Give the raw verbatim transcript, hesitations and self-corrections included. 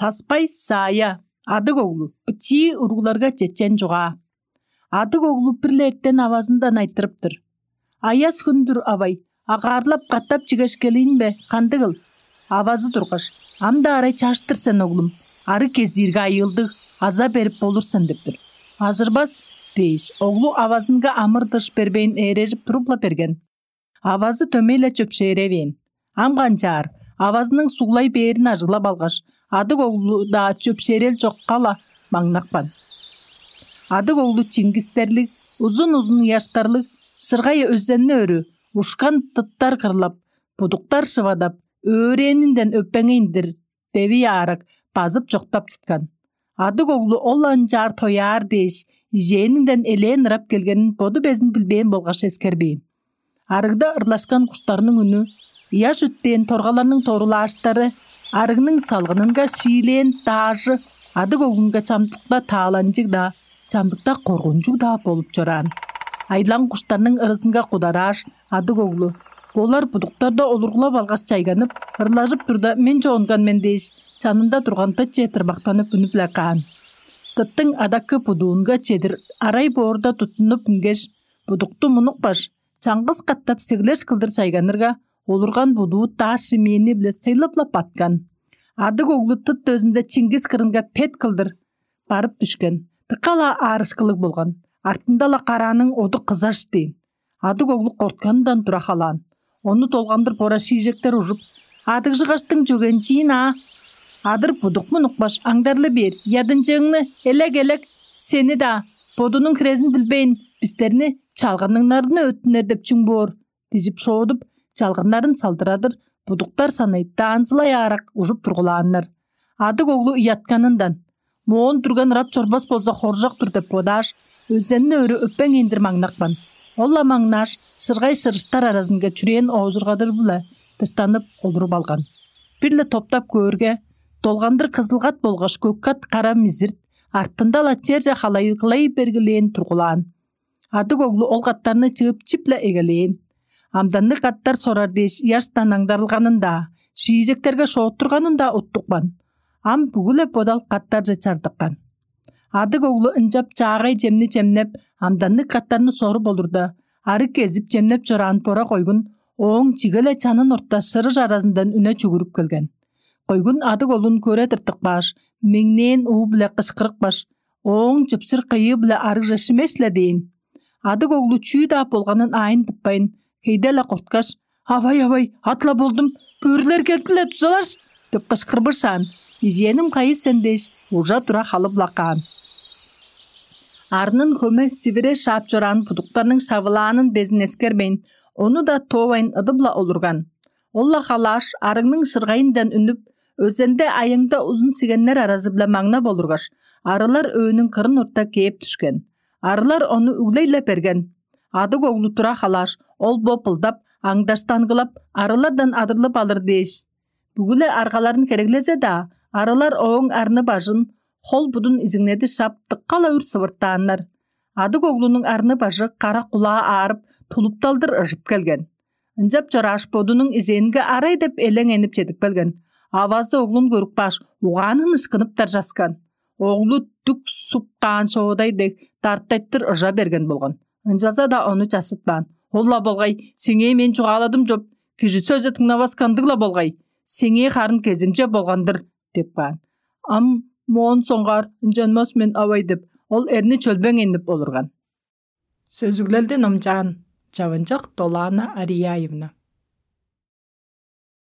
Таспай Саая, Адыг оглу, бичии уругларга чечен чугаа. Адыг оглу бир-ле эртен авазындан айтырыптыр: «Аяс хүндүр, авай, агаарлап катап чигеш келейн бе, кандыгыл?» Авазы тургаш: «Ам-даа арай чаштыр сен, оглум, арыг кезиирге айыылдыг, аза берип болур сен» — деп тур. «Ажырбас» — дээш, оглу авазынга амыр-дыш бербейн, ээрежип туруп-ла берген. Авазы дөмей-ле чөпшээревээн. Ам канчаар, авазының суглай бээрин ажыглап алгаш, Адыг оглу-даа чөпшээрел чокка-ла маңнапкан. Адыг оглу чиңгистерлиг, узун-узун ыяштарлыг, шыргай өзенни өрү, ушкан тыттар кырлап, будуктар шывадап, өөрээнинден өпеңейн-дир, девий аарак базып чоктап чыткан. Адыг оглу ол ынчаар тояар дээш, ижээнинден элээн ырап келгенин боду безин билбээн болгаш эскербээн. Арыгда ырлашкан куштарның үнү, ыяш үттээн торгаларның торулааштары, арыгның салгынынга шиилээн даажы Адыг оглунга чамдыкта тааланчыг-даа, чамдыкта коргунчуг-даа болуп чораан. Айлаң куштарның ырызынга кударааш, Адыг оглу: «Болар будуктарда олургулап алгаш чайганып, ырлажып турда, мен чоонган мен» — дээш, чанында турган тыт чедир мактанып үнүп-ле каан. Тыттың адаккы будуунга чедир арай боорда туттунуп үнгеш, будукту мунупкаш, чаңгыс катап сеглеш кылдыр чайганырга, олурган будуу дааш шимээни-биле сыйлып-ла баткан. Адыг оглу тыт дөзүнде чиңгис кырынга пет кылдыр барып дүшкен. Дыка-ла аарышкылыг болган. Артында-ла карааның оду кызаш дээн. Адыг оглу кортканындан тура халаан. Ону долгандыр бора шиижектер ужуп: «Адыгжыгаштың чөгенчиин аа, адыр будук мунукпаш, аңдарлы бээр, ядынчыыңны, элек-элек, сени-даа, бодунуң хирезин билбейн, бистерни чалгыныңнарны өттүнер деп чүң боор?» — дижип шоодуп, чалгыннарын салдырадыр, будуктар санай даанзылай аарак ужуп тургулааннар. Адыг оглу ыятканындан: «Моон дүрген ырап чорбас болза, хоржок-тур» — деп бодааш, өзенни өрү өппеңейн-дир маңнапкан. Ол-ла маңнааш, шыргай шырыштар аразынга чүрээн оожургадыр-биле дыштанып олуруп алган. Бир-ле топтап көөрге, долгандыр кызылгат болгаш көккат кара мизирт артында-ла черже халайгылай бергилээн тургулаан. Адыг оглу ол каттарны чыып чип-ле эгелээн. Амданныг каттар сорар дээш ыяштан аңдарылганын-даа, шиижектерге шооттурганын-даа уттупкан. Ам бүгү-ле бодал каттарже чардыккан. Адыг оглу ынчап чаагай чемни чемнеп, амданныг каттарны соруп олурда, арыг кезип чемнеп чораан бора койгун ооң чиге-ле чанын орта шырыш аразындан үне чүгүрүп келген. Койгун Адыг оглун көре тыртыкпааш, меңнээн уу-биле кышкырыпкаш, ооң чыпчыр кыйыы-биле арыгже шимеш-ле дээн. Адыг оглу чүү-даа болганын аайын тыппайн, хейде-ле корткаш: «Авай, авай, ат-ла болдум, бөрүлер келди-ле, дузалаш!» — деп кышкырбышаан, ижээним кайы сен дээш, ужа-тура халып-ла каан. Арнын хөме сивире шаап чораан будуктарның шавылаанын безин эскербейн, ону-даа тоовайн ыдып-ла олурган. Ол-ла халааш, арыгның шыргайындан үнүп, өзенде аяңда узун сигеннер аразы-биле маңнап олургаш, арылар өөнүң кырын орта кээп дүшкен. Арылар ону үглей-ле берген. Адыг оглу тура халааш, ол-бо былдап, аңдаштангылап, арылардан адырлып алыр дээш, бүгү-ле аргаларын хереглезе-даа, арылар ооң арны-бажын, хол-будун изиңнеди шап, дыка-ла үр сывыртааннар. Адыг оглунуң арны-бажы кара кулаа аарып, тулупталдыр ыжып келген. Ынчап чорааш, бодунуң ижээнге арай деп элеңенип чедип келген. Авазы оглун көрүп кааш, угаанын ышкынып даржаскан. Оглу дүк суп каан шоодай дег дартайтыр ыжа берген болган. Ынчалза-даа ону чассытпаан. «Ол-ла болгай, сеңээ мен чугааладым чоп, кижи сөзү дыңнавас кандыг-ла болгай, сеңээ харын кеземче болган-дыр» — деп каан. «Ам моон соңгаар ынчанмас мен, авай» — деп, ол эрни чөлбеңейнип олурган. Сөзүглелди номчаан Чавынчак Долаана Арияевна.